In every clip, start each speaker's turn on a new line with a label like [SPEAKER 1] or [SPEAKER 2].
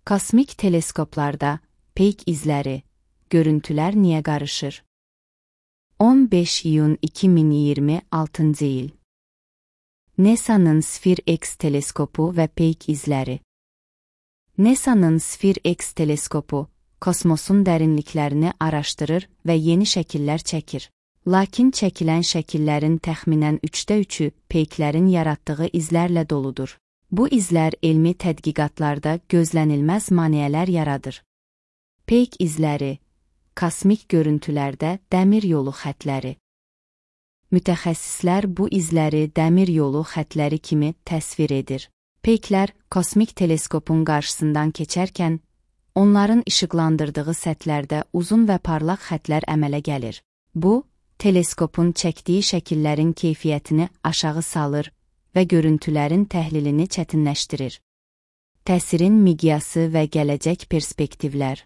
[SPEAKER 1] Kosmik teleskoplarda peyk izləri, görüntülər niyə qarışır? 15 iyun 2026 il. NASA'nın Sphere-X teleskopu və peyk izləri. NASA'nın Sphere-X teleskopu, kosmosun dərinliklərini araşdırır və yeni şəkillər çəkir. Lakin çəkilən şəkillərin təxminən 3/3-ü peyklərin yaratdığı izlərlə doludur. Bu izlər elmi tədqiqatlarda gözlənilməz maneələr yaradır. Peyk izləri, kosmik görüntülərdə dəmir yolu xətləri. Mütəxəssislər bu izləri dəmir yolu xətləri kimi təsvir edir. Peyklər kosmik teleskopun qarşısından keçərkən, onların işıqlandırdığı səthlərdə uzun və parlaq xətlər əmələ gəlir. Bu, teleskopun çəkdiyi şəkillərin keyfiyyətini aşağı salır və görüntülərin təhlilini çətinləşdirir. Təsirin miqyası və gələcək perspektivlər.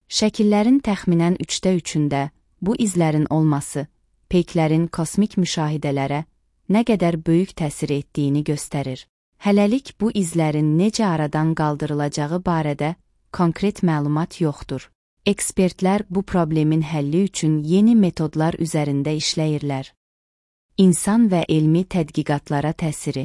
[SPEAKER 1] Şəkillərin təxminən 3/3-ündə bu izlərin olması, peyklərin kosmik müşahidələrə nə qədər böyük təsir etdiyini göstərir. Hələlik bu izlərin necə aradan qaldırılacağı barədə konkret məlumat yoxdur. Ekspertlər bu problemin həlli üçün yeni metodlar üzərində işləyirlər. İnsan və elmi tədqiqatlara təsiri.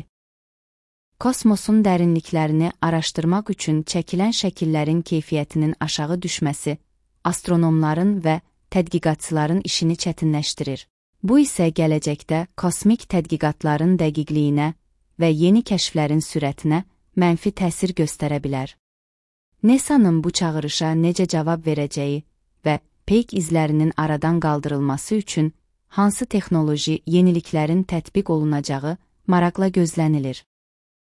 [SPEAKER 1] Kosmosun dərinliklərini araşdırmaq üçün çəkilən şəkillərin keyfiyyətinin aşağı düşməsi, astronomların və tədqiqatçıların işini çətinləşdirir. Bu isə gələcəkdə kosmik tədqiqatların dəqiqliyinə və yeni kəşflərin sürətinə mənfi təsir göstərə bilər. NASA'nın bu çağırışa necə cavab verəcəyi və peyk izlərinin aradan qaldırılması üçün hansı texnoloji yeniliklərin tətbiq olunacağı maraqla gözlənilir.